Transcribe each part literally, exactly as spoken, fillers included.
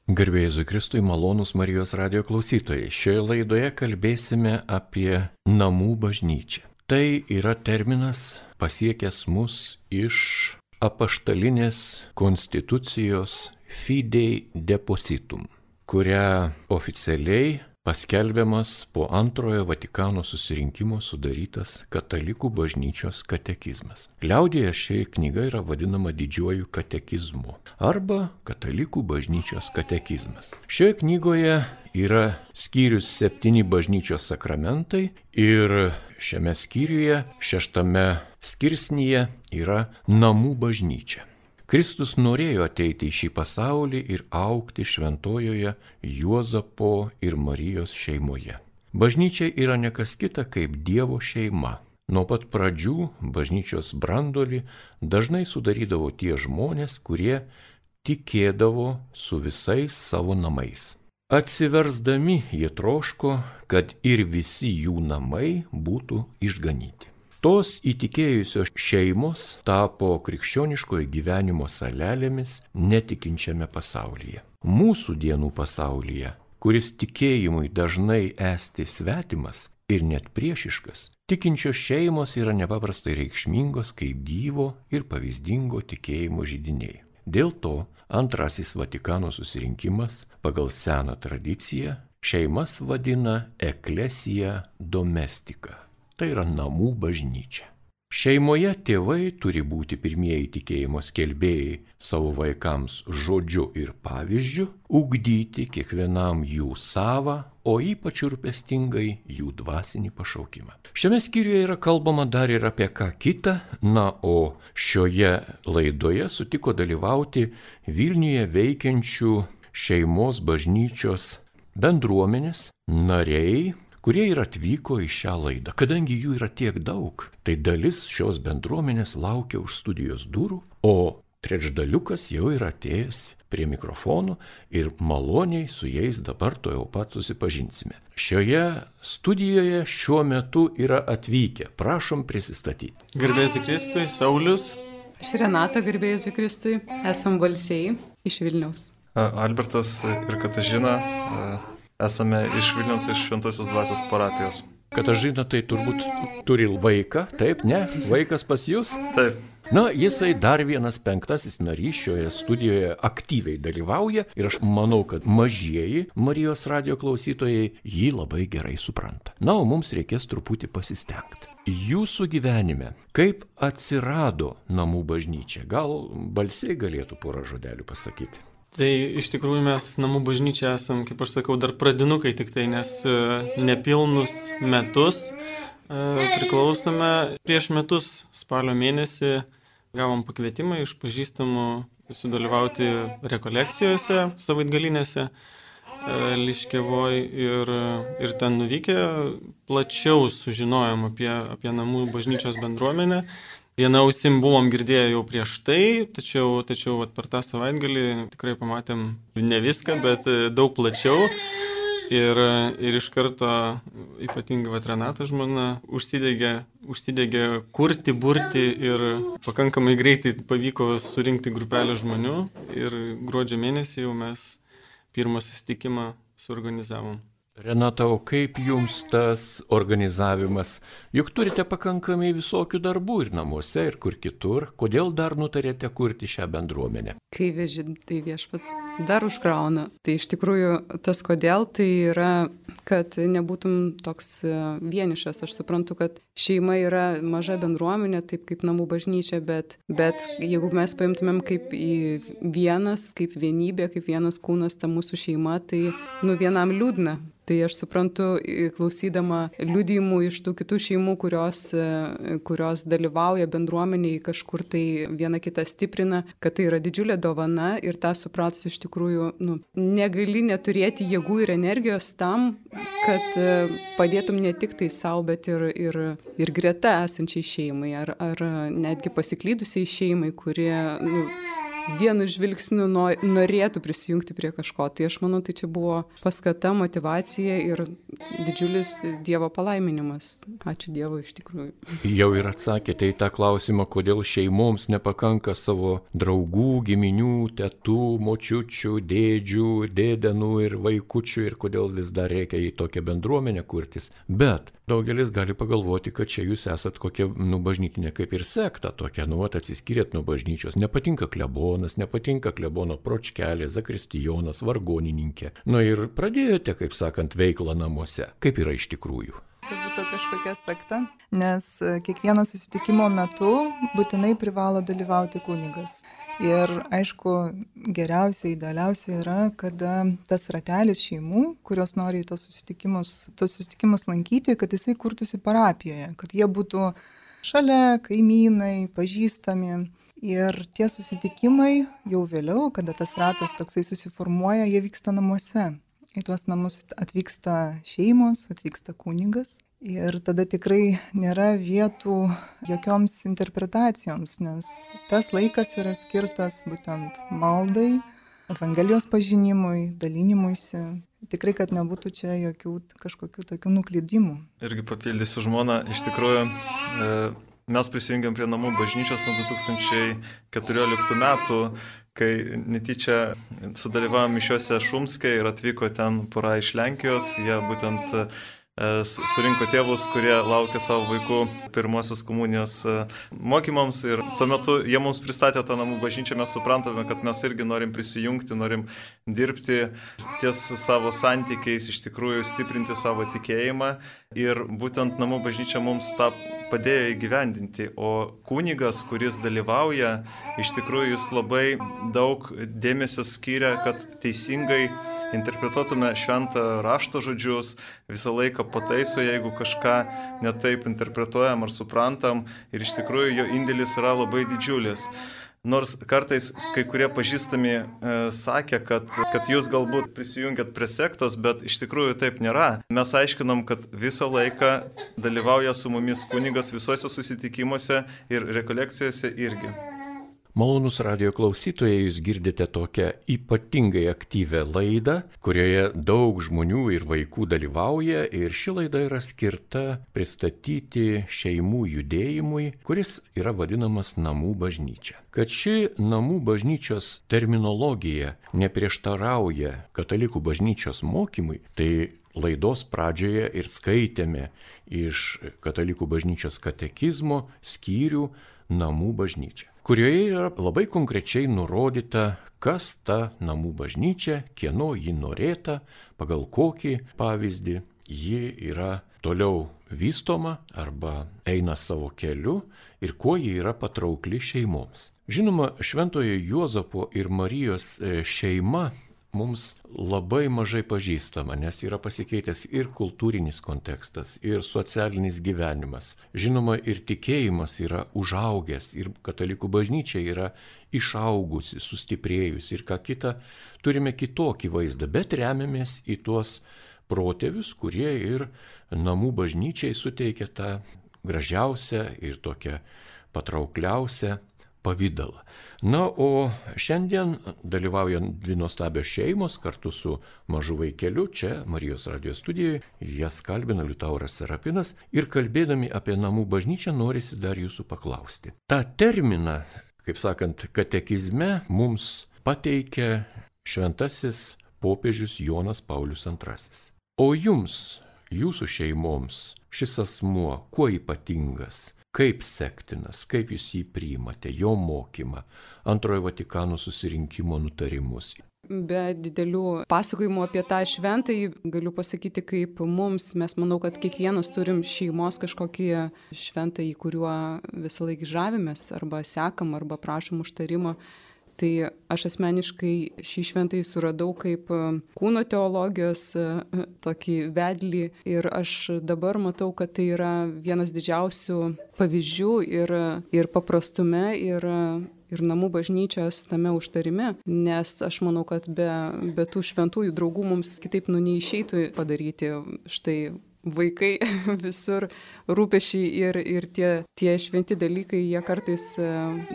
Garbė Jėzui Kristui, malonūs Marijos radijo klausytojai. Šioje laidoje kalbėsime apie namų bažnyčią. Tai yra terminas pasiekęs mus iš apaštalinės konstitucijos Fidei Depositum, kurią oficialiai paskelbiamas po antrojo Vatikano susirinkimo sudarytas Katalikų bažnyčios katekizmas. Liaudyje ši knyga yra vadinama Didžiuoju katekizmu arba Katalikų bažnyčios katekizmas. Šioje knygoje yra skyrius septyni bažnyčios sakramentai ir šiame skyriuje, šeštame skirsnyje yra namų bažnyčia. Kristus norėjo ateiti į šį pasaulį ir augti šventojoje Juozapo ir Marijos šeimoje. Bažnyčia yra ne kas kita kaip Dievo šeima. Nuo pat pradžių bažnyčios brandolį dažnai sudarydavo tie žmonės, kurie tikėdavo su visais savo namais. Atsiversdami jie troško, kad ir visi jų namai būtų išganyti. Tos įtikėjusios šeimos tapo krikščioniškojo gyvenimo salelėmis netikinčiame pasaulyje. Mūsų dienų pasaulyje, kuris tikėjimui dažnai esti svetimas ir net priešiškas, tikinčios šeimos yra nepaprastai reikšmingos kaip gyvo ir pavyzdingo tikėjimo židiniai. Dėl to antrasis Vatikano susirinkimas pagal seną tradiciją šeimas vadina eklesija domestika. Tai yra namų bažnyčia. Šeimoje tėvai turi būti pirmieji tikėjimo skelbėjai savo vaikams žodžiu ir pavyzdžiu, ugdyti kiekvienam jų savą, o ypač rūpestingai jų dvasinį pašaukimą. Šiame skyriuje yra kalbama dar ir apie ką kitą, na, o šioje laidoje sutiko dalyvauti Vilniuje veikiančių šeimos bažnyčios bendruomenės nariai, kurie ir atvyko į šią laidą. Kadangi jų yra tiek daug, tai dalis šios bendruomenės laukia už studijos durų, o trečdaliukas jau yra atėjęs prie mikrofonų ir maloniai su jais dabar to jau pat susipažinsime. Šioje studijoje šiuo metu yra atvykę. Prašom prisistatyti. Garbės Kristui, Saulius. Aš Renata, garbėjus Kristui. Esam balsiai iš Vilniaus. Albertas ir Katažina. Esame iš Vilniaus, iš Šventosios dvasios parapijos. Katažina tai turbūt turi vaiką, taip, ne? Vaikas pas jūs? Taip. Na, jisai dar vienas penktasis narys šioje studijoje aktyviai dalyvauja ir aš manau, kad mažieji Marijos radijo klausytojai jį labai gerai supranta. Na, o mums reikės truputį pasistengti. Jūsų gyvenime, kaip atsirado namų bažnyčia? Gal balsiai galėtų porą žodelių pasakyti? Tai iš tikrųjų mes namų bažnyčia esam, kaip aš sakau, dar pradinukai tik tai, nes nepilnus metus priklausome. Prieš metus spalio mėnesį gavom pakvietimą iš pažįstamų sudalyvauti rekolekcijose savaitgalinėse Liškevoj ir, ir ten nuvykę plačiau sužinojom apie, apie namų bažnyčios bendruomenę. Viena ausim buvom girdėję jau prieš tai, tačiau, tačiau vat, per tą savaitgalį tikrai pamatėm ne viską, bet daug plačiau. Ir, ir iš karto ypatingai vat, Renata žmona užsidegė, užsidegė kurti, burti ir pakankamai greitai pavyko surinkti grupelę žmonių. Ir gruodžio mėnesį jau mes pirmą susitikimą suorganizavom. Renata, o kaip jums tas organizavimas? Juk turite pakankamai visokių darbų ir namuose, ir kur kitur. Kodėl dar nutarėte kurti šią bendruomenę? Kai veži, tai viešpats dar užkrauna. Tai iš tikrųjų tas kodėl, tai yra, kad nebūtum toks vienišas. Aš suprantu, kad šeima yra maža bendruomenė, taip kaip namų bažnyčia, bet, bet jeigu mes paimtumėm kaip į vienas, kaip vienybė, kaip vienas kūnas ta mūsų šeima, tai nu vienam liūdna. Tai aš suprantu, klausydama liudijimų iš tų kitų šeimų, kurios, kurios dalyvauja bendruomeniai, kažkur tai viena kitą stiprina, kad tai yra didžiulė dovana ir tą supratus iš tikrųjų nu, negali neturėti jėgų ir energijos tam, kad padėtum ne tik tai savo, bet ir, ir, ir greta esančiai šeimai ar, ar netgi pasiklydusiai šeimai, kurie nu, vienu žvilgsniu norėtų prisijungti prie kažko. Tai aš manau, tai čia buvo paskata, motyvacija ir didžiulis Dievo palaiminimas. Ačiū Dievui iš tikrųjų. Jau ir atsakėte į tą klausimą, kodėl šeimoms nepakanka savo draugų, giminių, tetų, močiučių, dėdžių, dėdenų ir vaikučių ir kodėl vis dar reikia į tokią bendruomenę kurtis. Bet daugelis gali pagalvoti, kad čia jūs esat kokia, nu, bažnytinė kaip ir sekta tokia, nu, atsiskyrėt nuo bažnyčios, nepatinka klebonas, nepatinka klebono pročkelė, zakristijonas, vargonininkė. Nu ir pradėjote, kaip sakant, veiklą namuose. Kaip yra iš tikrųjų? Čia būtų kažkokia sekta, nes kiekvieno susitikimo metu būtinai privalo dalyvauti kunigas. Ir aišku, geriausia, idealiausia yra, kada tas ratelis šeimų, kurios nori į tos susitikimus, tos susitikimus lankyti, kad jisai kurtųsi parapijoje, kad jie būtų šalia, kaimynai, pažįstami. Ir tie susitikimai jau vėliau, kada tas ratas toksai susiformuoja, jie vyksta namuose. Į tuos namus atvyksta šeimos, atvyksta kunigas ir tada tikrai nėra vietų jokioms interpretacijoms, nes tas laikas yra skirtas būtent maldai, Evangelijos pažinimui, dalinimuisi. Tikrai, kad nebūtų čia jokių kažkokių tokių nuklydimų. Irgi papildysiu žmoną, iš tikrųjų mes prisijungėm prie namų bažnyčios nuo du tūkstančiai keturioliktų metų, kai netyčia sudalyvavom mišiuose Šumske ir atvyko ten pora iš Lenkijos, jie būtent surinko tėvus, kurie laukia savo vaikų pirmosios komunijos mokymams ir tuo metu jie mums pristatė tą namų bažnyčią, mes suprantame, kad mes irgi norim prisijungti, norim dirbti ties savo santykiais, iš tikrųjų stiprinti savo tikėjimą ir būtent namų bažnyčia mums tą padėjo įgyvendinti, o kunigas, kuris dalyvauja, iš tikrųjų jis labai daug dėmesio skiria, kad teisingai interpretuotume šventą rašto žodžius, visą laiką pataiso, jeigu kažką netaip interpretuojam ar suprantam ir iš tikrųjų jo indėlis yra labai didžiulis. Nors kartais kai kurie pažįstami e, sakė, kad, kad jūs galbūt prisijungiat prie sektos, bet iš tikrųjų taip nėra. Mes aiškinom, kad visą laiką dalyvauja su mumis kunigas visuose susitikimuose ir rekolekcijose irgi. Malonūs radijo klausytojai, jūs girdite tokią ypatingai aktyvę laidą, kurioje daug žmonių ir vaikų dalyvauja ir ši laida yra skirta pristatyti šeimų judėjimui, kuris yra vadinamas namų bažnyčia. Kad ši namų bažnyčios terminologija neprieštarauja katalikų bažnyčios mokymui, tai laidos pradžioje ir skaitėme iš katalikų bažnyčios katekizmo skyrių namų bažnyčia, kurioje yra labai konkrečiai nurodyta, kas ta namų bažnyčia, kieno ji norėta, pagal kokį pavyzdį ji yra toliau vystoma arba eina savo keliu ir kuo ji yra patraukli šeimoms. Žinoma, Šventojo Juozapo ir Marijos šeima mums labai mažai pažįstama, nes yra pasikeitęs ir kultūrinis kontekstas, ir socialinis gyvenimas. Žinoma, ir tikėjimas yra užaugęs, ir katalikų bažnyčia yra išaugusi, sustiprėjusi, ir ką kita, turime kitokį vaizdą, bet remiamės į tuos protėvius, kurie ir namų bažnyčiai suteikia tą gražiausią ir tokią patraukliausią pavydalą. Na, o šiandien dalyvauja dvi nuostabios šeimos kartu su mažu vaikeliu čia Marijos radijo studijoje. Jas kalbina Liutauras Serapinas ir kalbėdami apie namų bažnyčią norisi dar jūsų paklausti. Ta terminą, kaip sakant, katekizme mums pateikia šventasis popiežius Jonas Paulius antrasis. O jums, jūsų šeimoms, šis asmuo kuo ypatingas? Kaip sektinas, kaip jūs jį priimate, jo mokymą, antrojo Vatikano susirinkimo nutarimus? Be didelių pasakojimų apie tą šventąjį galiu pasakyti, kaip mums, mes manau, kad kiekvienas turim šeimos kažkokį šventąjį, kuriuo visą laiką žavimės, arba sekam, arba prašom užtarimo. Tai aš asmeniškai šį šventąjį suradau kaip kūno teologijos tokį vedlį ir aš dabar matau, kad tai yra vienas didžiausių pavyzdžių ir, ir paprastume, ir, ir namų bažnyčios tame užtarime, nes aš manau, kad be, be tų šventųjų draugų mums kitaip nu neišeitų padaryti štai vaikai visur rūpešiai ir, ir tie, tie šventi dalykai, jie kartais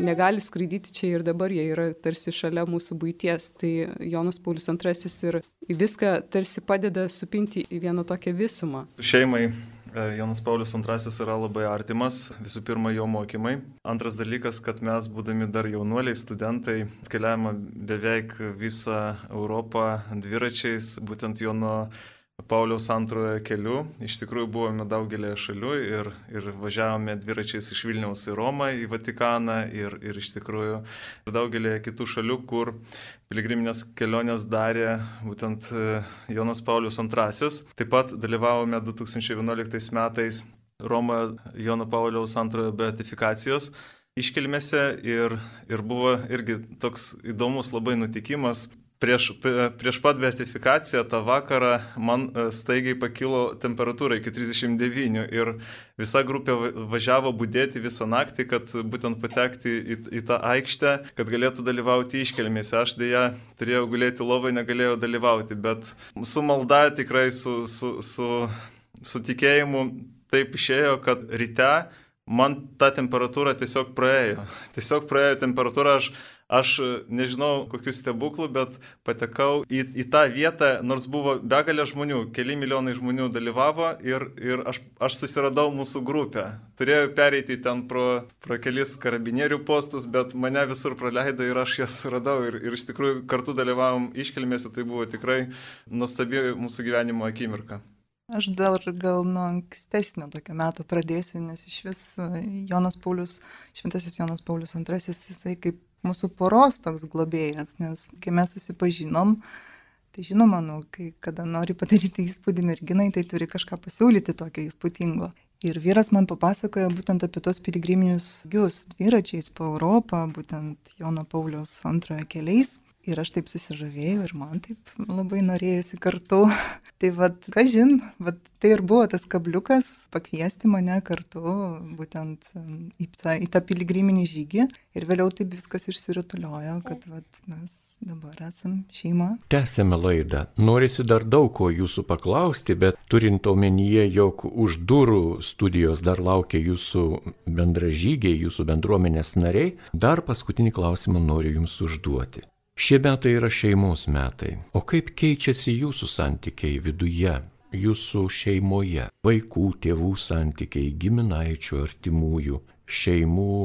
negali skraidyti čia ir dabar, jie yra tarsi šalia mūsų buities. Tai Jonas Paulius antrasis ir viską tarsi padeda supinti į vieną tokią visumą. Šeimai Jonas Paulius antrasis yra labai artimas, visų pirma jo mokymai. Antras dalykas, kad mes, būdami dar jaunuoliai, studentai, keliavome beveik visą Europą dviračiais, būtent Jono Pauliaus antrojo keliu. Iš tikrųjų buvome daugelėje šalių ir, ir važiavome dviračiais iš Vilniaus į Romą, į Vatikaną ir, ir iš tikrųjų daugelėje kitų šalių, kur piligriminės kelionės darė būtent Jonas Paulius antrasis. Taip pat dalyvavome du tūkstančiai vienuoliktais metais Romoje Jono Pauliaus antrojo beatifikacijos iškilmėse ir, ir buvo irgi toks įdomus labai nutikimas. Prieš, prieš pat beatifikaciją tą vakarą man staigiai pakilo temperatūra iki trisdešimt devynių ir visa grupė važiavo budėti visą naktį, kad būtent patekti į, į tą aikštę, kad galėtų dalyvauti iškilmėse. Aš dėja turėjau gulėti lovai, negalėjau dalyvauti, bet su malda tikrai su, su, su, su tikėjimu taip išėjo, kad ryte man ta temperatūra tiesiog praėjo. Tiesiog praėjo temperatūra, aš Aš nežinau kokių stebuklų, bet patekau į, į tą vietą, nors buvo begalė žmonių, keli milijonai žmonių dalyvavo ir, ir aš, aš susiradau mūsų grupę. Turėjau pereiti ten pro, pro kelis karabinierių postus, bet mane visur praleido ir aš jas suradau ir, ir iš tikrųjų kartu dalyvavom iškilmėse, tai buvo tikrai nuostabi mūsų gyvenimo akimirka. Aš dar gal nuo ankstesnio tokio meto pradėsiu, nes iš vis Jonas Paulius, šventasis Jonas Paulius antrasis, jisai kaip mūsų poros toks globėjas, nes kai mes susipažinom, tai žinoma, nu, kai kada nori padaryti įspūdį merginai, tai turi kažką pasiūlyti tokio įspūdingo. Ir vyras man papasakojo būtent apie tos piligriminius žygius dviračiais po Europą, būtent Jono Pauliaus antrojo keliais. Ir aš taip susižavėjau ir man taip labai norėjusi kartu. Tai vat, kažin, vat, tai ir buvo tas kabliukas pakviesti mane kartu būtent į tą, į tą piligriminį žygį. Ir vėliau taip viskas išsirutuliojo, kad vat, mes dabar esam šeima. Tęsėme laidą. Norisi dar daug ko jūsų paklausti, bet turint omenyje, jog už durų studijos dar laukia jūsų bendražygiai, jūsų bendruomenės nariai, dar paskutinį klausimą noriu jums užduoti. Šie metai yra šeimos metai. O kaip keičiasi jūsų santykiai viduje, jūsų šeimoje, vaikų, tėvų santykiai, giminaičių, artimųjų, šeimų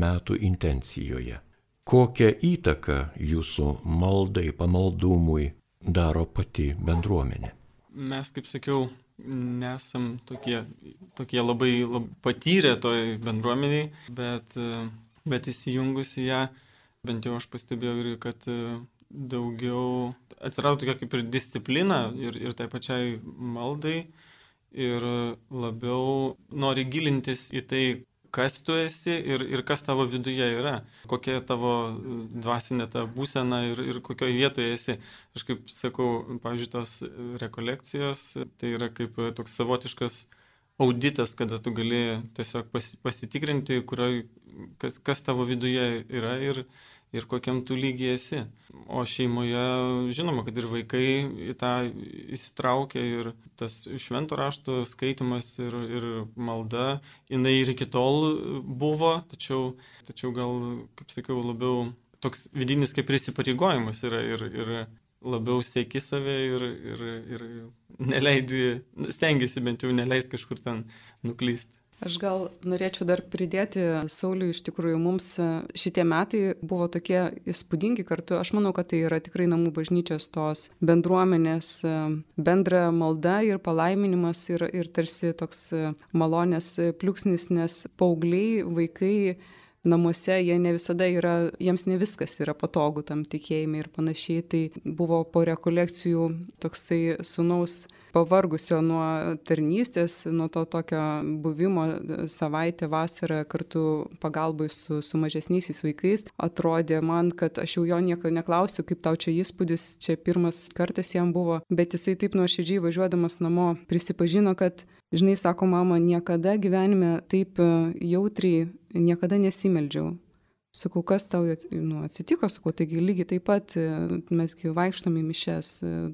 metų intencijoje? Kokią įtaką jūsų maldai, pamaldumui daro pati bendruomenė? Mes, kaip sakiau, nesam tokie, tokie labai, labai patyrę toj bendruomeniai, bet, bet įsijungus į ją, bent jau aš pastebėjau ir kad daugiau atsirado tokia kaip ir disciplina ir, ir tai pačiai maldai ir labiau nori gilintis į tai, kas tu esi ir, ir kas tavo viduje yra, kokia tavo dvasinė ta būsena ir, ir kokioje vietoje esi. Aš kaip sakau, pavyzdžiui, tos rekolekcijos, tai yra kaip toks savotiškas auditas, kada tu gali tiesiog pasitikrinti, kurioj, kas, kas tavo viduje yra ir, ir kokiam tu lygiai esi. O šeimoje žinoma, kad ir vaikai į tą įsitraukia ir tas švento rašto skaitimas ir, ir malda, jinai ir iki tol buvo, tačiau, tačiau gal, kaip sakiau, labiau toks vidinis kaip įsipareigojimas yra ir, ir labiau sieki save ir, ir, ir neleidi, stengiasi bent jau neleisti kažkur ten nuklysti. Aš gal norėčiau dar pridėti, Sauliui, iš tikrųjų mums šitie metai buvo tokie įspūdingi kartu. Aš manau, kad tai yra tikrai namų bažnyčios tos bendruomenės bendra malda ir palaiminimas ir, ir tarsi toks malonės pliūpsnis, nes paaugliai, vaikai namuose, jie ne visada yra, jiems ne viskas yra patogu tam tikėjime ir panašiai. Tai buvo po rekolekcijų toksai sūnaus pavargusio nuo tarnystės, nuo to tokio buvimo savaitę vasarą kartu pagalbai su, su mažesniaisiais vaikais. Atrodė man, kad aš jau jo nieko neklausiu, kaip tau čia įspūdis, čia pirmas kartas jam buvo, bet jisai taip nuoširdžiai važiuodamas namo prisipažino, kad, žinai, sako, mama, niekada gyvenime taip jautriai niekada nesimeldžiau Sakau, kas tau nu, atsitiko, sakau, taigi lygiai taip pat mesgi vaikštome į mišes,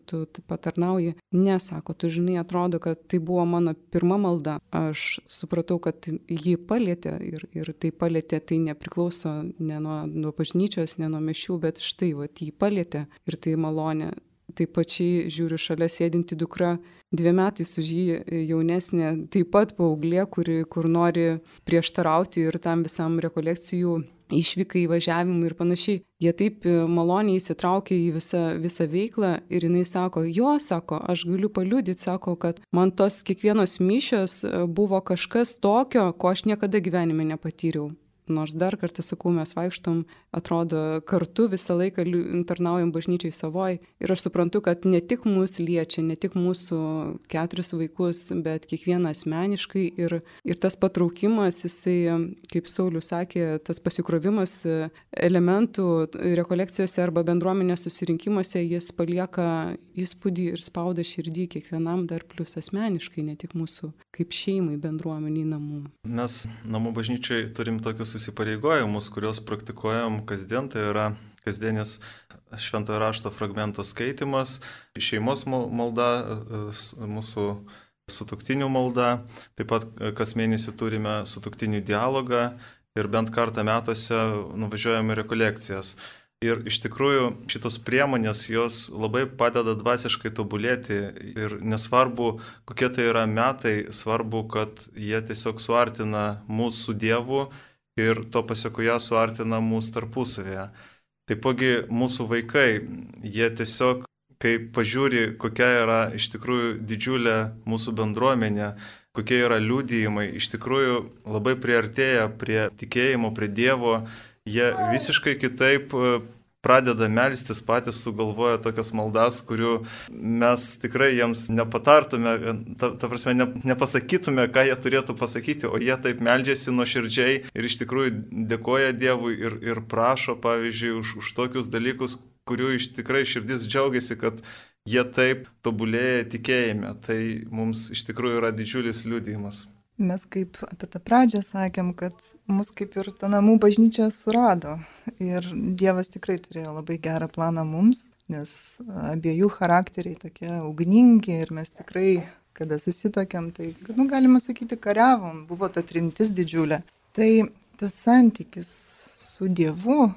tu patarnauji. Ne, sako, tu žinai, atrodo, kad tai buvo mano pirma malda. Aš supratau, kad jį palietė ir, ir tai palietė, tai nepriklauso ne nuo, nuo bažnyčios, ne nuo mišių, bet štai, va, jį palietė ir tai malonė. Taip pačiai žiūriu šalia sėdinti dukra, dviem metais už jį jaunesnė, taip pat paauglė, kuri, kur nori prieštarauti ir tam visam rekolekcijų išvykai, įvažiavimui ir panašiai. Jie taip maloniai įsitraukia į visą, visą veiklą ir jinai sako, jo, sako, aš galiu paliudyti, sako, kad man tos kiekvienos mišios buvo kažkas tokio, ko aš niekada gyvenime nepatyriau. Nors dar kartą sakau, mes vaikštom, atrodo, kartu visą laiką tarnaujam bažnyčiai savoj. Ir aš suprantu, kad ne tik mus liečia, ne tik mūsų keturis vaikus, bet kiekvieną asmeniškai. Ir, ir tas patraukimas, jisai, kaip Saulius sakė, tas pasikrovimas elementų rekolekcijose arba bendruomenės susirinkimuose, jis palieka įspūdį ir spauda širdį kiekvienam dar plus asmeniškai, ne tik mūsų kaip šeimai, bendruomeniai, namų. Mes namų bažnyčiai turim tokius įsipareigojimus, kuriuos praktikuojam kasdien, tai yra kasdienis šventojo rašto fragmento skaitimas, šeimos malda, mūsų sutuoktinių malda, taip pat kas mėnesį turime sutuoktinių dialogą ir bent kartą metuose nuvažiuojame rekolekcijas. Ir iš tikrųjų šitos priemonės jos labai padeda dvasiškai tobulėti ir nesvarbu, kokie tai yra metai, svarbu, kad jie tiesiog suartina mūsų su Dievu ir to pasiekoje suartina mūsų tarpusavėje. Taipogi mūsų vaikai, jie tiesiog, kai pažiūri, kokia yra iš tikrųjų didžiulė mūsų bendruomenė, kokie yra liudijimai, iš tikrųjų labai priartėja prie tikėjimo, prie Dievo, jie visiškai kitaip pradeda melstis, patys sugalvoja tokias maldas, kurių mes tikrai jiems nepatartume, ta, ta prasme, ne, nepasakytume, ką jie turėtų pasakyti, o jie taip meldžiasi nuoširdžiai ir iš tikrųjų dėkoja Dievui ir, ir prašo, pavyzdžiui, už, už tokius dalykus, kurių iš tikrai širdis džiaugiasi, kad jie taip tobulėja tikėjime. Tai mums iš tikrųjų yra didžiulis liudijimas. Mes kaip apie tą pradžią sakėm, kad mus kaip ir ta namų bažnyčia surado. Ir Dievas tikrai turėjo labai gerą planą mums, nes abiejų charakteriai tokie ugningi ir mes tikrai, kada susitokėm, tai, nu, galima sakyti, kariavom, buvo ta trintis didžiulė. Tai tas santykis su Dievu,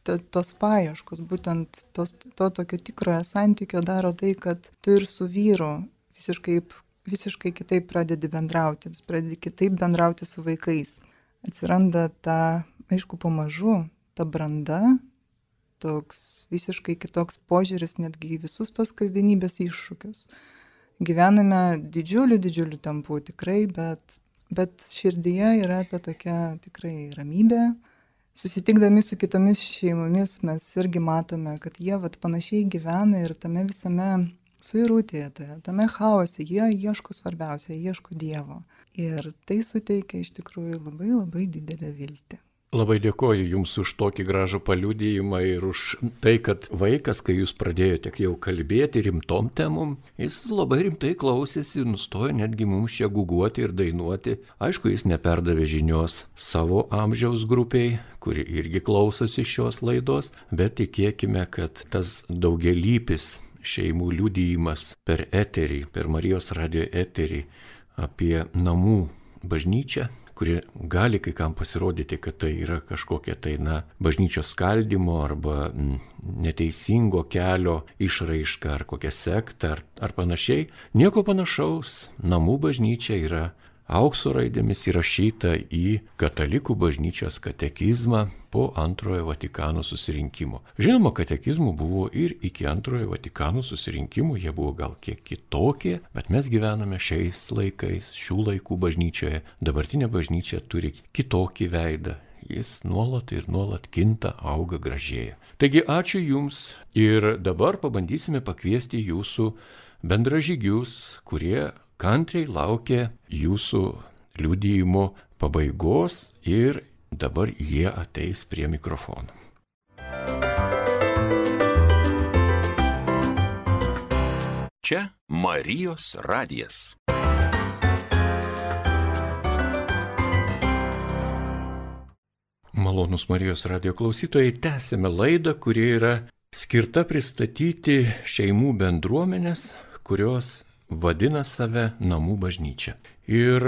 ta, tos paieškos, būtent tos, to tokio tikrojo santykio daro tai, kad tu ir su vyru visiškai visiškai kitaip pradedi bendrauti, pradedi kitaip bendrauti su vaikais. Atsiranda ta, aišku, pamažu, ta branda, toks visiškai kitoks požiūris netgi į visus tos kasdienybės iššūkius. Gyvename didžiulių, didžiulių tempų tikrai, bet, bet širdyje yra ta tokia tikrai ramybė. Susitikdami su kitomis šeimomis mes irgi matome, kad jie vat, panašiai gyvena ir tame visame suirutėje, tame chaose, jie ieško svarbiausia, jie ieško Dievo. Ir tai suteikia iš tikrųjų labai labai didelę viltį. Labai dėkoju Jums už tokį gražų paliudijimą ir už tai, kad vaikas, kai Jūs pradėjote jau kalbėti rimtom temom, jis labai rimtai klausėsi, nustojo netgi mums čia guguoti ir dainuoti. Aišku, jis neperdavė žinios savo amžiaus grupiai, kuri irgi klausosi šios laidos, bet tikėkime, kad tas daugialypis šeimų liudijimas per eterį, per Marijos radijo eterį apie namų bažnyčią, kuri gali kai kam pasirodyti, kad tai yra kažkokia tai, na, bažnyčios skaldimo arba neteisingo kelio išraiška ar kokia sekta ar, ar panašiai. Nieko panašaus, namų bažnyčia yra aukso raidėmis įrašyta į katalikų bažnyčios katekizmą po antrojo Vatikano susirinkimo. Žinoma, katekizmų buvo ir iki antrojo Vatikano susirinkimų, jie buvo gal kiek kitokie, bet mes gyvename šiais laikais, šių laikų bažnyčioje. Dabartinė bažnyčia turi kitokį veidą. Jis nuolat ir nuolat kinta, auga, gražėja. Taigi ačiū Jums ir dabar pabandysime pakviesti Jūsų bendražygius, kurie kantriai laukia Jūsų liudijimo pabaigos ir dabar jie ateis prie mikrofono. Čia Marijos radijas. Malonūs Marijos radio klausytojai, tęsime laidą, kuri yra skirta pristatyti šeimų bendruomenės, kurios vadina save namų bažnyčia. Ir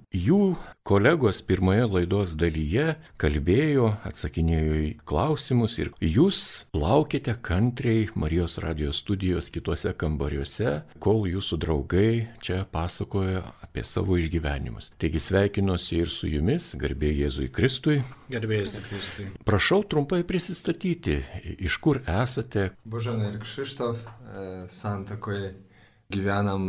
jų kolegos pirmoje laidos dalyje kalbėjo, atsakinėjo į klausimus ir jūs laukite kantriai Marijos radio studijos kitose kambariuose, kol jūsų draugai čia pasakoja apie savo išgyvenimus. Taigi sveikinuosi ir su jumis, garbė Jėzui Kristui. Garbė Jėzui Kristui. Prašau trumpai prisistatyti, iš kur esate. Božena ir Krzysztof, santakoje gyvenam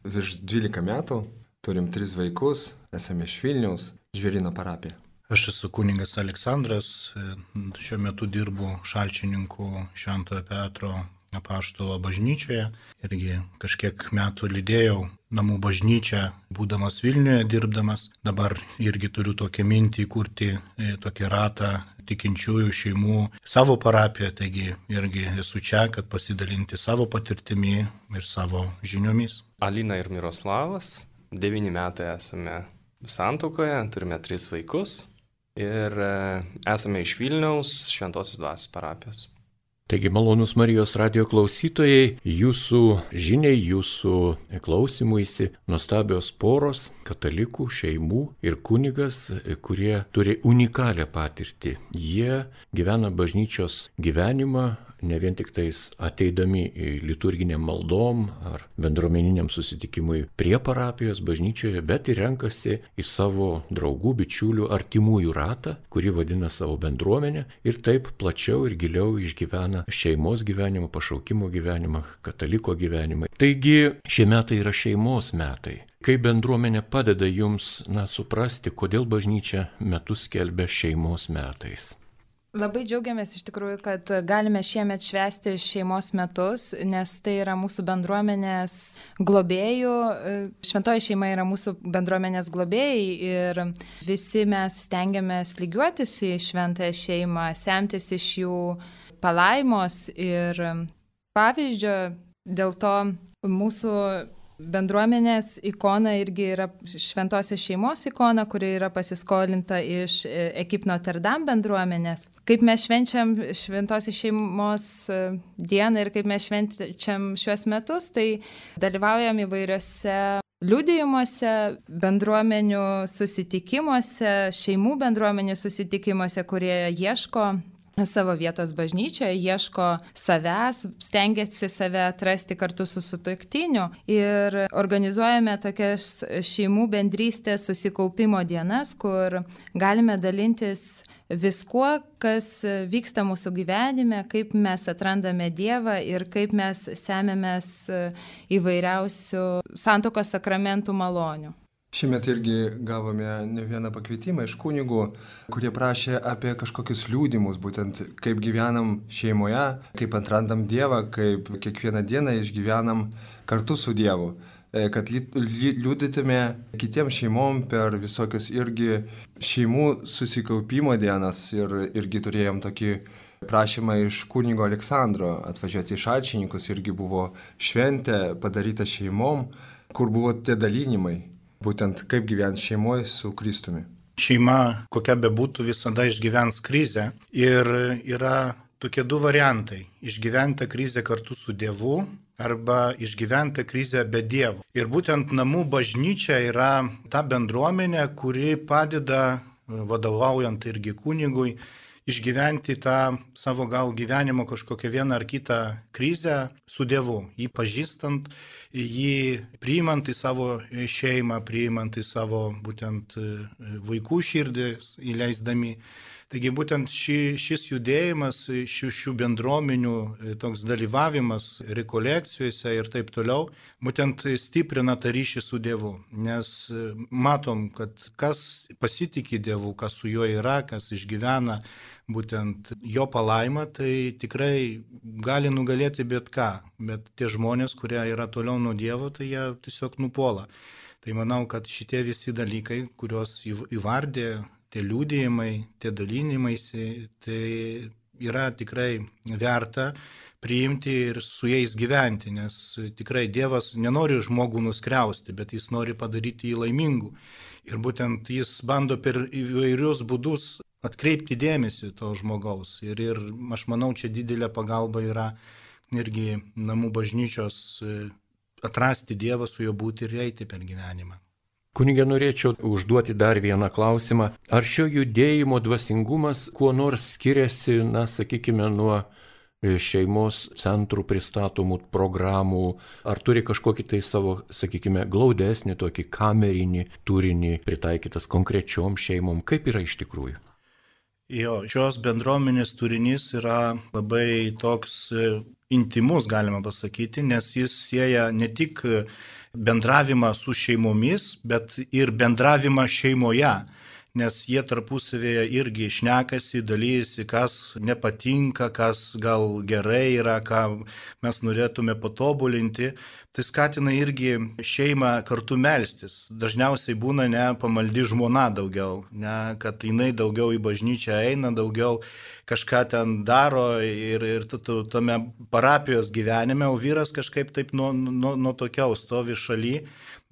virš dvylika metų. Turim tris vaikus, esame iš Vilniaus, Žvėryno parapija. Aš esu kunigas Aleksandras, šiuo metu dirbu šalčininkų Šventojo Petro apaštalo bažnyčioje. Irgi kažkiek metų lydėjau namų bažnyčią, būdamas Vilniuje, dirbdamas. Dabar irgi turiu tokią mintį įkurti tokį ratą tikinčiųjų šeimų savo parapiją, taigi irgi esu čia, kad pasidalinti savo patirtimi ir savo žiniomis. Alina ir Miroslavas. Devyni metai esame santuokoje, turime tris vaikus ir esame iš Vilniaus Šventosios Dvasios parapijos. Taigi, malonūs Marijos radio klausytojai, jūsų žiniai, jūsų klausimuisi nuostabios poros, katalikų, šeimų ir kunigas, kurie turi unikalią patirtį. Jie gyvena bažnyčios gyvenimą, ne vien tik tais ateidami į liturginiam maldom ar bendruomeniniam susitikimui prie parapijos bažnyčioje, bet ir renkasi į savo draugų, bičiulių, artimųjų ratą, kurį vadina savo bendruomenę ir taip plačiau ir giliau išgyvena šeimos gyvenimą, pašaukimo gyvenimą, kataliko gyvenimą. Taigi šie metai yra šeimos metai. Kaip bendruomenė padeda jums, na, suprasti, kodėl bažnyčia metus skelbia šeimos metais? Labai džiaugiamės iš tikrųjų, kad galime šiemet švęsti šeimos metus, nes tai yra mūsų bendruomenės globėjų. Šventoji šeima yra mūsų bendruomenės globėjai ir visi mes stengiamės lygiuotis į šventąją šeimą, semtis iš jų palaimos ir pavyzdžio. Dėl to mūsų bendruomenės ikona irgi yra šventosios šeimos ikona, kuri yra pasiskolinta iš Ekip Notre Dame bendruomenės. Kaip mes švenčiam šventosios šeimos dieną ir kaip mes švenčiam šiuos metus, tai dalyvaujam įvairiose liudijimuose, bendruomenių susitikimuose, šeimų bendruomenių susitikimuose, kurie ieško savo vietos bažnyčioje, ieško savęs, stengiasi save atrasti kartu su sutuoktiniu ir organizuojame tokias šeimų bendrystės susikaupimo dienas, kur galime dalintis viskuo, kas vyksta mūsų gyvenime, kaip mes atrandame Dievą ir kaip mes semiamės įvairiausių santuokos sakramentų malonių. Šiemet irgi gavome ne vieną pakvietimą iš kunigų, kurie prašė apie kažkokius liudimus, būtent kaip gyvenam šeimoje, kaip atrandam Dievą, kaip kiekvieną dieną išgyvenam kartu su Dievu, kad liudytume kitiems šeimom per visokius irgi šeimų susikaupimo dienas ir irgi turėjom tokį prašymą iš kunigo Aleksandro atvažiuoti į Šalčininkus, irgi buvo šventė padaryta šeimom, kur buvo tie dalinimai. Būtent kaip gyventi šeimoje su Kristumi. Šeima, kokia bebūtų, visada išgyvens krizę ir yra tokie du variantai. Išgyventi krizę kartu su Dievu arba išgyventi krizę be Dievo. Ir būtent namų bažnyčia yra ta bendruomenė, kuri padeda, vadovaujant irgi kunigui, išgyventi tą savo gal gyvenimo kažkokią vieną ar kitą krizę su Dievu, jį pažįstant, jį priimant į savo šeimą, priimant į savo būtent vaikų širdis įleisdami. Taigi būtent ši, šis judėjimas, šių, šių bendruomenių toks dalyvavimas rekolekcijose ir taip toliau, būtent stiprina tą ryšį su Dievu. Nes matom, kad kas pasitikė Dievu, kas su juo yra, kas išgyvena būtent jo palaimą, tai tikrai gali nugalėti bet ką. Bet tie žmonės, kurie yra toliau nuo Dievo, tai jie tiesiog nupuola. Tai manau, kad šitie visi dalykai, kuriuos įvardė, tie liudijimai, tie dalinimaisi, tai yra tikrai verta priimti ir su jais gyventi, nes tikrai Dievas nenori žmogų nuskriausti, bet jis nori padaryti jį laimingu. Ir būtent jis bando per įvairius būdus atkreipti dėmesį to žmogaus. Ir, ir aš manau, čia didelė pagalba yra irgi namų bažnyčios atrasti Dievą, su juo būti ir eiti per gyvenimą. Kunige, norėčiau užduoti dar vieną klausimą. Ar šio judėjimo dvasingumas kuo nors skiriasi, na, sakykime, nuo šeimos centrų pristatomų programų, ar turi kažkokį tai savo, sakykime, glaudesnį, tokį kamerinį turinį pritaikytas konkrečiom šeimom? Kaip yra iš tikrųjų? Jo, šios bendruomenės turinys yra labai toks intimus, galima pasakyti, nes jis sieja ne tik bendravimą su šeimomis, bet ir bendravimą šeimoje, nes jie tarpusavėje irgi šnekasi, dalyjasi, kas nepatinka, kas gal gerai yra, ką mes norėtume patobulinti. Tai skatina irgi šeimą kartu melstis. Dažniausiai būna ne pamaldi žmona daugiau, ne, kad jinai daugiau į bažnyčią eina, daugiau kažką ten daro ir, ir tu, tu tame parapijos gyvenime, o vyras kažkaip taip nuo, nuo, nuo tokiau stovi šaly.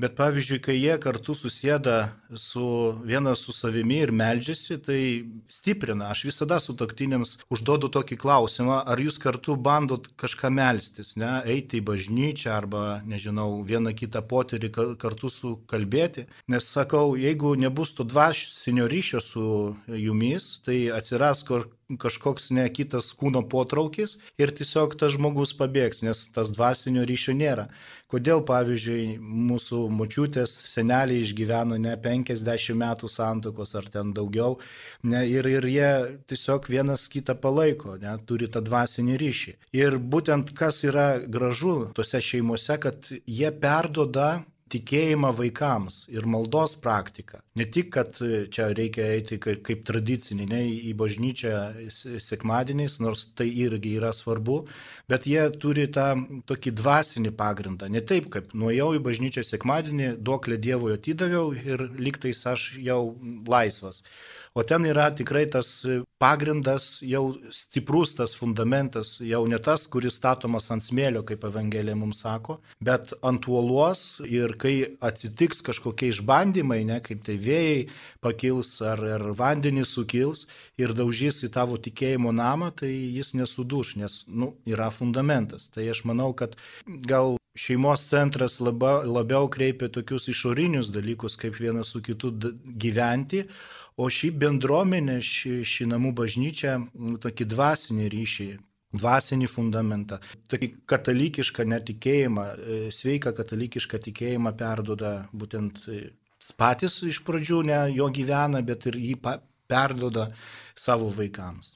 Bet pavyzdžiui, kai jie kartu susėda su vienas su savimi ir meldžiasi, tai stiprina. Aš visada sutuoktiniams užduodu tokį klausimą, ar jūs kartu bandot kažką melstis, ne, eiti į bažnyčią arba, nežinau, vieną kitą potyrį kartu su kalbėti. Nes sakau, jeigu nebus to dvasinio ryšio su jumis, tai atsiras kur kažkoks ne kitas kūno potraukis ir tiesiog tas žmogus pabėgs, nes tas dvasinio ryšio nėra. Kodėl, pavyzdžiui, mūsų močiutės seneliai išgyveno ne penkiasdešimt metų santuokos ar ten daugiau, ne, ir, ir jie tiesiog vienas kitą palaiko, ne, turi tą dvasinį ryšį. Ir būtent kas yra gražu tose šeimose, kad jie perduoda tikėjimą vaikams ir maldos praktiką. Ne tik, kad čia reikia eiti kaip, kaip tradicinį, ne, į bažnyčią sekmadieniais, nors tai irgi yra svarbu, bet jie turi tą tokį dvasinį pagrindą. Ne taip, kaip nuėjau į bažnyčią sekmadienį, duoklę Dievui atidaviau ir lygtais aš jau laisvas. O ten yra tikrai tas pagrindas, jau stiprus tas fundamentas, jau ne tas, kuris statomas ant smėlio, kaip Evangelija mums sako, bet ant uolos, ir kai atsitiks kažkokie išbandymai, ne, kaip tai vėjai pakils ar, ar vandenys sukils ir daužys į tavo tikėjimo namą, tai jis nesuduš, nes nu, yra fundamentas. Tai aš manau, kad gal šeimos centras laba, labiau kreipia tokius išorinius dalykus, kaip vienas su kitu gyventi, o šį bendruomenę, šį, šį namų bažnyčią, tokį dvasinį ryšį, dvasinį fundamentą, tokį katalikišką netikėjimą, sveiką katalikišką tikėjimą perduoda būtent patys iš pradžių, ne jo gyvena, bet ir jį perduoda savo vaikams.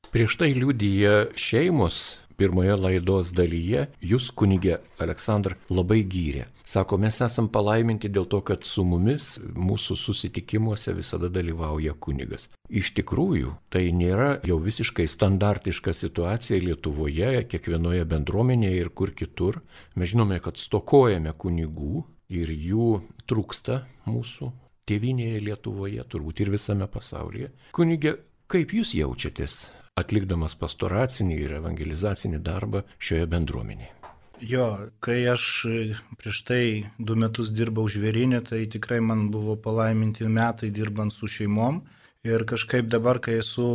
Prieš tai liudija šeimos. Pirmoje laidos dalyje jūs, kunige Aleksandr, labai gyrė. Sako, mes esam palaiminti dėl to, kad su mumis mūsų susitikimuose visada dalyvauja kunigas. Iš tikrųjų, tai nėra jau visiškai standartiška situacija Lietuvoje, kiekvienoje bendruomenėje ir kur kitur. Mes žinome, kad stokojame kunigų ir jų trūksta mūsų tėvynėje Lietuvoje, turbūt ir visame pasaulyje. Kunige, kaip jūs jaučiatės atlikdamas pastoracinį ir evangelizacinį darbą šioje bendruomenėje? Jo, kai aš prieš tai du metus dirbau žvėryne, tai tikrai man buvo palaiminti metai dirbant su šeimom. Ir kažkaip dabar, kai esu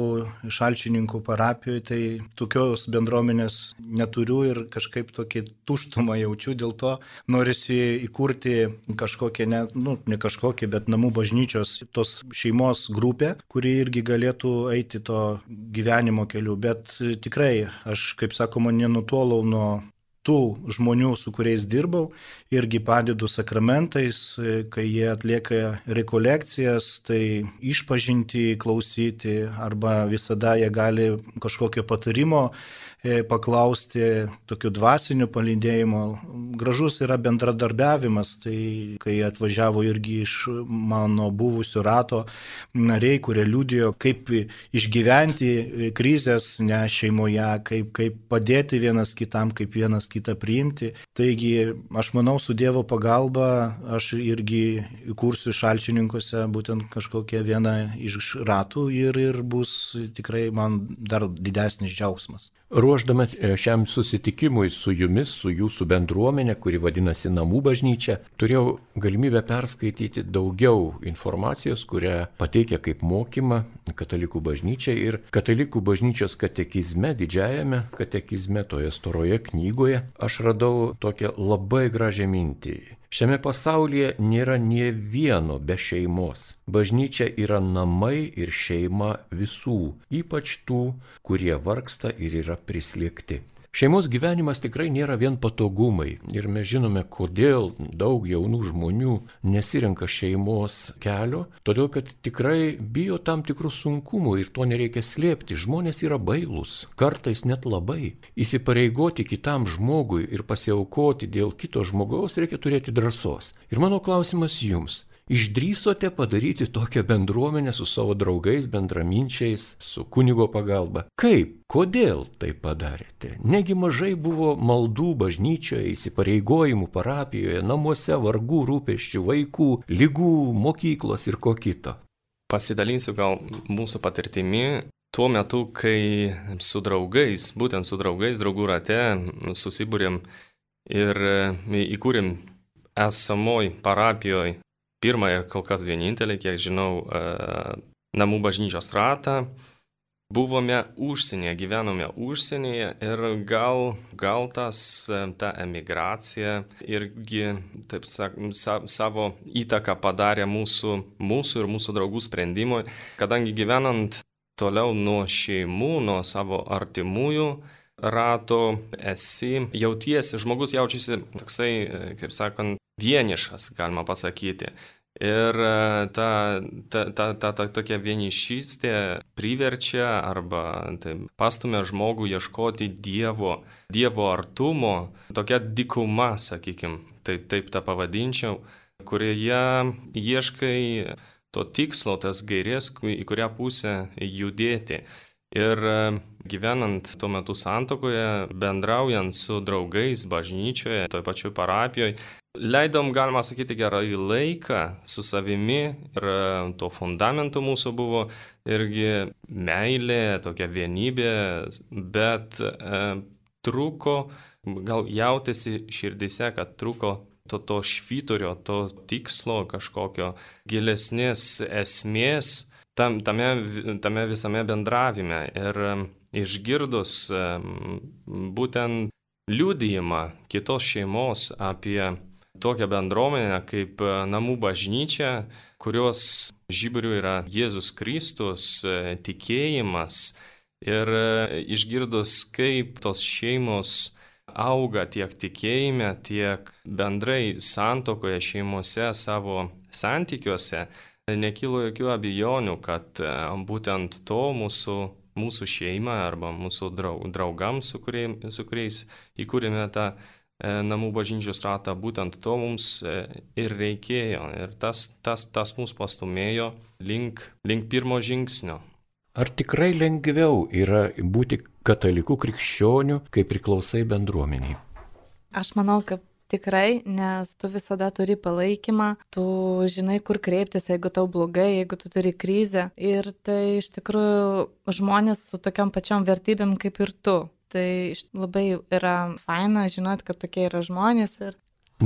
Šalčininkų parapijoje, tai tokios bendruomenės neturiu ir kažkaip tokį tuštumą jaučiu, dėl to norisi įkurti kažkokią, ne, nu, ne kažkokią, bet namų bažnyčios tos šeimos grupę, kuri irgi galėtų eiti to gyvenimo keliu. Bet tikrai, aš, kaip sakoma, nenutolau nuo tų žmonių, su kuriais dirbau, irgi padedu sakramentais, kai jie atlieka rekolekcijas, tai išpažinti, klausyti, arba visada jie gali kažkokio patarimo paklausti, tokiu dvasiniu palydėjimu. Gražus yra bendradarbiavimas, tai kai atvažiavo irgi iš mano buvusio rato nariai, kurie liudijo, kaip išgyventi krizės ne šeimoje, kaip, kaip padėti vienas kitam, kaip vienas kitą priimti. Taigi, aš manau, su Dievo pagalba aš irgi įkursiu Šalčininkuose būtent kažkokią vieną iš ratų ir, ir bus tikrai man dar didesnis džiaugsmas. Ruoždamas šiam susitikimui su jumis, su jūsų bendruomenė, kuri vadinasi Namų bažnyčia, turėjau galimybę perskaityti daugiau informacijos, kurią pateikia kaip mokymą katalikų bažnyčiai ir katalikų bažnyčios katekizme, didžiajame katekizme, toje storoje knygoje, aš radau tokią labai gražią mintį. Šiame pasaulyje nėra nie vieno be šeimos. Bažnyčia yra namai ir šeima visų, ypač tų, kurie vargsta ir yra prislėgti. Šeimos gyvenimas tikrai nėra vien patogumai ir mes žinome, kodėl daug jaunų žmonių nesirenka šeimos kelio, todėl kad tikrai bijo tam tikrų sunkumų ir to nereikia slėpti. Žmonės yra bailūs, kartais net labai. Įsipareigoti kitam žmogui ir pasiaukoti dėl kito žmogaus reikia turėti drąsos. Ir mano klausimas jums. Išdrįsote padaryti tokią bendruomenę su savo draugais, bendraminčiais, su kunigo pagalba? Kaip? Kodėl tai padarėte? Negi mažai buvo maldų bažnyčioje, įsipareigojimų parapijoje, namuose, vargų, rūpesčių, vaikų, ligų, mokyklos ir ko kito? Pasidalinsiu gal mūsų patirtimi. Tuo metu, kai su draugais, būtent su draugais, draugų rate, susibūrėm ir įkūrėm esamoj parapijoje pirmą ir kol kas vienintelį, kiek žinau, namų bažnyčios ratą. Buvome užsienyje, gyvenome užsienyje ir gal, gal tas, ta emigracija irgi, taip sakant, savo įtaką padarė mūsų, mūsų ir mūsų draugų sprendimui, kadangi gyvenant toliau nuo šeimų, nuo savo artimųjų rato, esi, jautiesi, žmogus jaučiasi toksai, kaip sakant, vienišas, galima pasakyti. Ir ta, ta, ta, ta, ta tokia vienišystė priverčia arba tai, pastumia žmogų ieškoti Dievo, Dievo artumo, tokia dykuma, sakykime, taip, taip tą pavadinčiau, kurioje ieškai to tikslo, tas gairės, į kurią pusę judėti. Ir gyvenant tuo metu santuokoje, bendraujant su draugais bažnyčioje, toj pačioj parapijoje, leidom, galima sakyti, gerai laiką su savimi ir to fundamentu mūsų buvo irgi meilė, tokia vienybė, bet e, truko, gal jautėsi širdise, kad truko to, to švyturio, to tikslo, kažkokio gilesnės esmės, Tam, tame, tame visame bendravime ir išgirdus būtent liudijimą kitos šeimos apie tokią bendruomenę kaip namų bažnyčia, kurios žiburiu yra Jėzus Kristus, tikėjimas ir išgirdus, kaip tos šeimos auga tiek tikėjime, tiek bendrai santuokoje šeimose savo santykiuose, nekilo jokių abejonių, kad būtent to mūsų, mūsų šeima arba mūsų draugams, su kuriais, su kuriais įkūrėme tą namų bažnyčios ratą, būtent to mums ir reikėjo. Ir tas, tas, tas mus pastumėjo link, link pirmo žingsnio. Ar tikrai lengviau yra būti katalikų krikščionių, kai priklausai bendruomeniai? Aš manau, kad tikrai, nes tu visada turi palaikymą, tu žinai, kur kreiptis, jeigu tau blogai, jeigu tu turi krizę. Ir tai iš tikrųjų žmonės su tokiam pačiom vertybėm kaip ir tu. Tai labai yra faina žinot, kad tokie yra žmonės. Ir...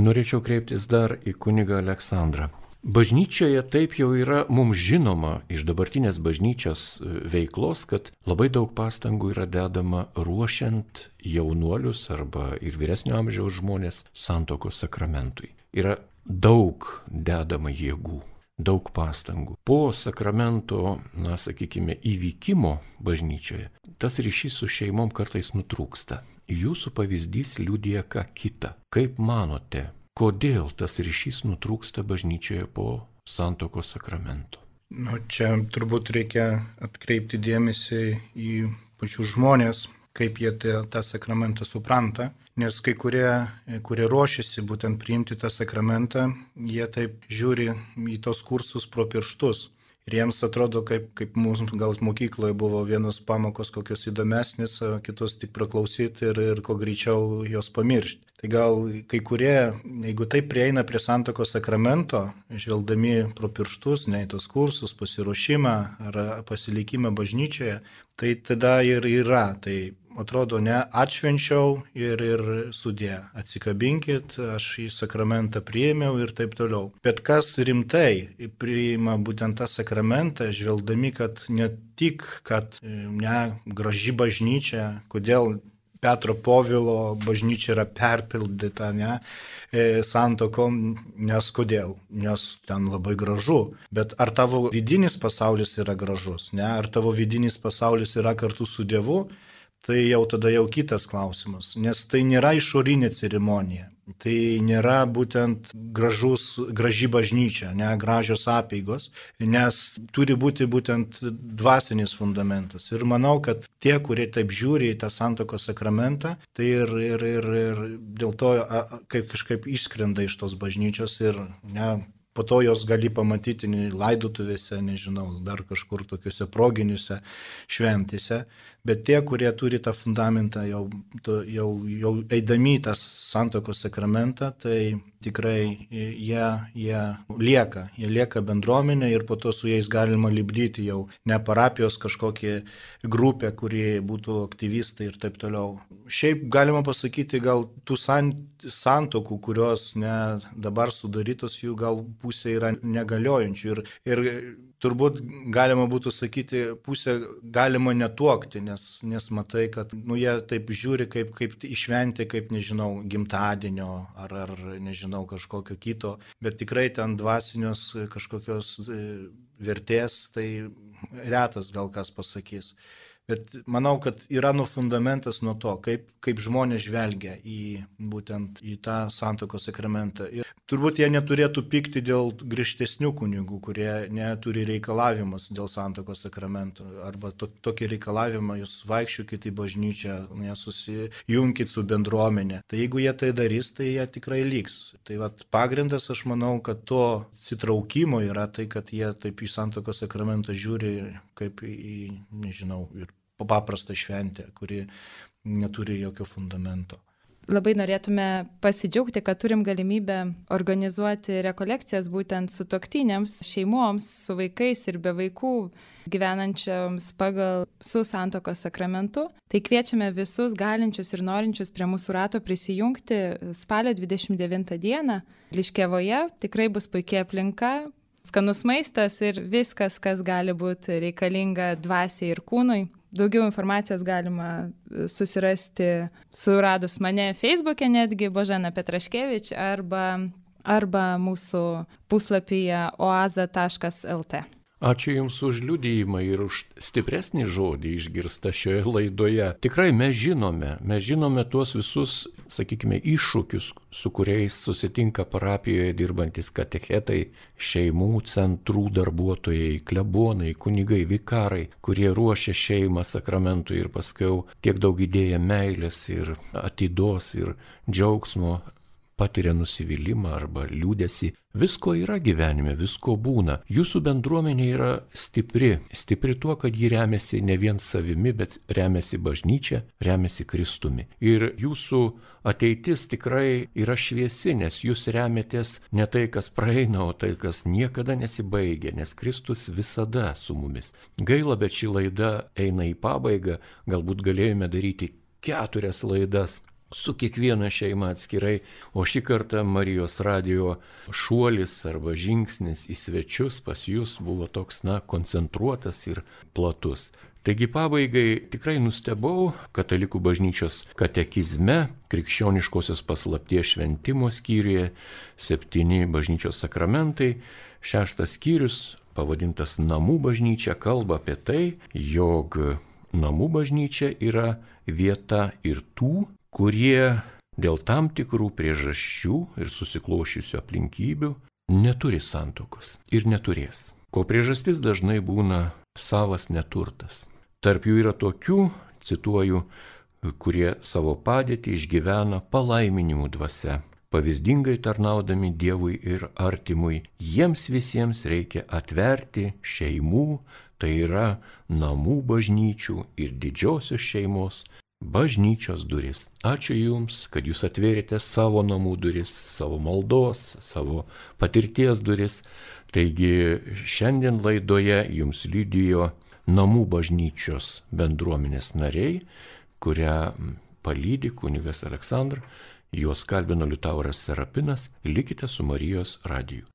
Norėčiau kreiptis dar į kunigą Aleksandrą. Bažnyčioje taip jau yra mums žinoma iš dabartinės bažnyčios veiklos, kad labai daug pastangų yra dedama ruošiant jaunuolius arba ir vyresnio amžiaus žmonės santuokos sakramentui. Yra daug dedama jėgų, daug pastangų. Po sakramento, na, sakykime, įvykimo bažnyčioje, tas ryšys su šeimom kartais nutrūksta. Jūsų pavyzdys liudija ką kitą. Kaip manote, kodėl tas ryšys nutrūksta bažnyčioje po santuokos sakramento? Nu, čia turbūt reikia atkreipti dėmesį į pačius žmonės, kaip jie tą, tą sakramentą supranta, nes kai kurie, kurie ruošiasi būtent priimti tą sakramentą, jie taip žiūri į tos kursus pro pirštus. Ir jiems atrodo, kaip, kaip mūsų gal mokykloje buvo vienos pamokos kokios įdomesnės, o kitos tik praklausyti ir, ir ko greičiau jos pamiršti. Tai gal kai kurie, jeigu taip prieina prie santuokos sakramento, žvelgdami pro pirštus, ne į tos kursus, pasiruošimą ar pasilikimą bažnyčioje, tai tada ir yra. Tai atrodo, ne, atšvenčiau ir, ir sudė, atsikabinkit, aš į sakramentą priėmiau ir taip toliau. Bet kas rimtai priima būtent tą sakramentą, žvelgdami, kad ne tik, kad ne, graži bažnyčia, kodėl Petro Povilo bažnyčia yra perpildyta, ne, santokom, nes kodėl, nes ten labai gražu, bet ar tavo vidinis pasaulis yra gražus, ne, ar tavo vidinis pasaulis yra kartu su Dievu, tai jau tada jau kitas klausimas, nes tai nėra išorinė ceremonija. Tai nėra būtent gražus, graži bažnyčia, ne gražios apeigos, nes turi būti būtent dvasinis fundamentas. Ir manau, kad tie, kurie taip žiūri į tą santuokos sakramentą, tai ir, ir, ir, ir dėl to kaip kažkaip išskrenda iš tos bažnyčios ir ne, po to jos gali pamatyti laidotuvėse, nežinau, dar kažkur tokiuose proginiuose šventėse. Bet tie, kurie turi tą fundamentą jau, jau, jau eidami į tą santuokos sakramentą, tai tikrai jie, jie lieka, jie lieka bendruomenė ir po to su jais galima lipdyti jau ne parapijos kažkokie grupė, kurie būtų aktyvistai ir taip toliau. Šiaip galima pasakyti, gal tų santokų, kurios ne, dabar sudarytos, jų gal pusė yra negaliojančių ir, ir turbūt galima būtų sakyti, pusę galima netuokti, nes, nes matai, kad nu, jie taip žiūri kaip, kaip išventi, kaip, nežinau, gimtadienio ar, ar, nežinau, kažkokio kito, bet tikrai ten dvasinios kažkokios vertės, tai retas gal kas pasakys. Bet manau, kad yra nu fundamentas nuo to, kaip, kaip žmonės žvelgia į būtent į tą santuokos sakramentą. Ir turbūt jie neturėtų pykti dėl griežtesnių kunigų, kurie neturi reikalavimus dėl santuokos sakramento. Arba to, tokį reikalavimą, jūs vaikščiokit į bažnyčią, nesusijunkit su bendruomenė. Tai jeigu jie tai darys, tai jie tikrai liks. Tai vat, pagrindas, aš manau, kad to atsitraukimo yra tai, kad jie taip į santuokos sakramentą žiūri kaip į, nežinau, ir paprastą šventę, kuri neturi jokio fundamento. Labai norėtume pasidžiaugti, kad turim galimybę organizuoti rekolekcijas būtent sutuoktiniams, šeimoms, su vaikais ir be vaikų gyvenančiams pagal su santuokos sakramentu. Tai kviečiame visus galinčius ir norinčius prie mūsų rato prisijungti spalio dvidešimt devintą dieną Liškevoje. Tikrai bus puikia aplinka, skanus maistas ir viskas, kas gali būti reikalinga dvasiai ir kūnui. Daugiau informacijos galima susirasti suradus mane Facebook'e netgi Božena Petraškevič arba, arba mūsų puslapyje oaza taškas lt. Ačiū Jums už liudijimą ir už stipresnį žodį išgirstą šioje laidoje. Tikrai mes žinome, mes žinome tuos visus, sakykime, iššūkius, su kuriais susitinka parapijoje dirbantis katechetai, šeimų centrų darbuotojai, klebonai, kunigai, vikarai, kurie ruošia šeimą sakramentui ir paskiau tiek daug įdėję meilės ir atidos ir džiaugsmo, patiria nusivylimą arba liūdesį. Visko yra gyvenime, visko būna. Jūsų bendruomenė yra stipri. Stipri tuo, kad ji remiasi ne vien savimi, bet remiasi bažnyčia, remiasi Kristumi. Ir jūsų ateitis tikrai yra šviesi, nes jūs remiatės ne tai, kas praeina, o tai, kas niekada nesibaigia, nes Kristus visada su mumis. Gaila, bet ši laida eina į pabaigą. Galbūt galėjome daryti keturias laidas su kiekviena šeima atskirai, o šį kartą Marijos radijo šuolis arba žingsnis į svečius pas jūs buvo toks, na, koncentruotas ir platus. Taigi pabaigai tikrai nustebau Katalikų bažnyčios katekizme, krikščioniškosios paslapties šventimo skyriuje, septyni bažnyčios sakramentai, šeštas skyrius, pavadintas Namų bažnyčia, kalba apie tai, jog namų bažnyčia yra vieta ir tų, kurie dėl tam tikrų priežasčių ir susiklošiusių aplinkybių neturi santuokos ir neturės. Ko priežastis dažnai būna savas neturtas. Tarp jų yra tokių, cituoju, kurie savo padėtį išgyvena palaiminimų dvasia, pavyzdingai tarnaudami Dievui ir artimui. Jiems visiems reikia atverti šeimų, tai yra namų bažnyčių ir didžiosios šeimos bažnyčios duris. Ačiū Jums, kad Jūs atvėrėte savo namų duris, savo maldos, savo patirties duris. Taigi šiandien laidoje Jums liudijo namų bažnyčios bendruomenės nariai, kurią palydi kunigas Aleksandras, juos kalbino Liutauras Serapinas, likite su Marijos radiju.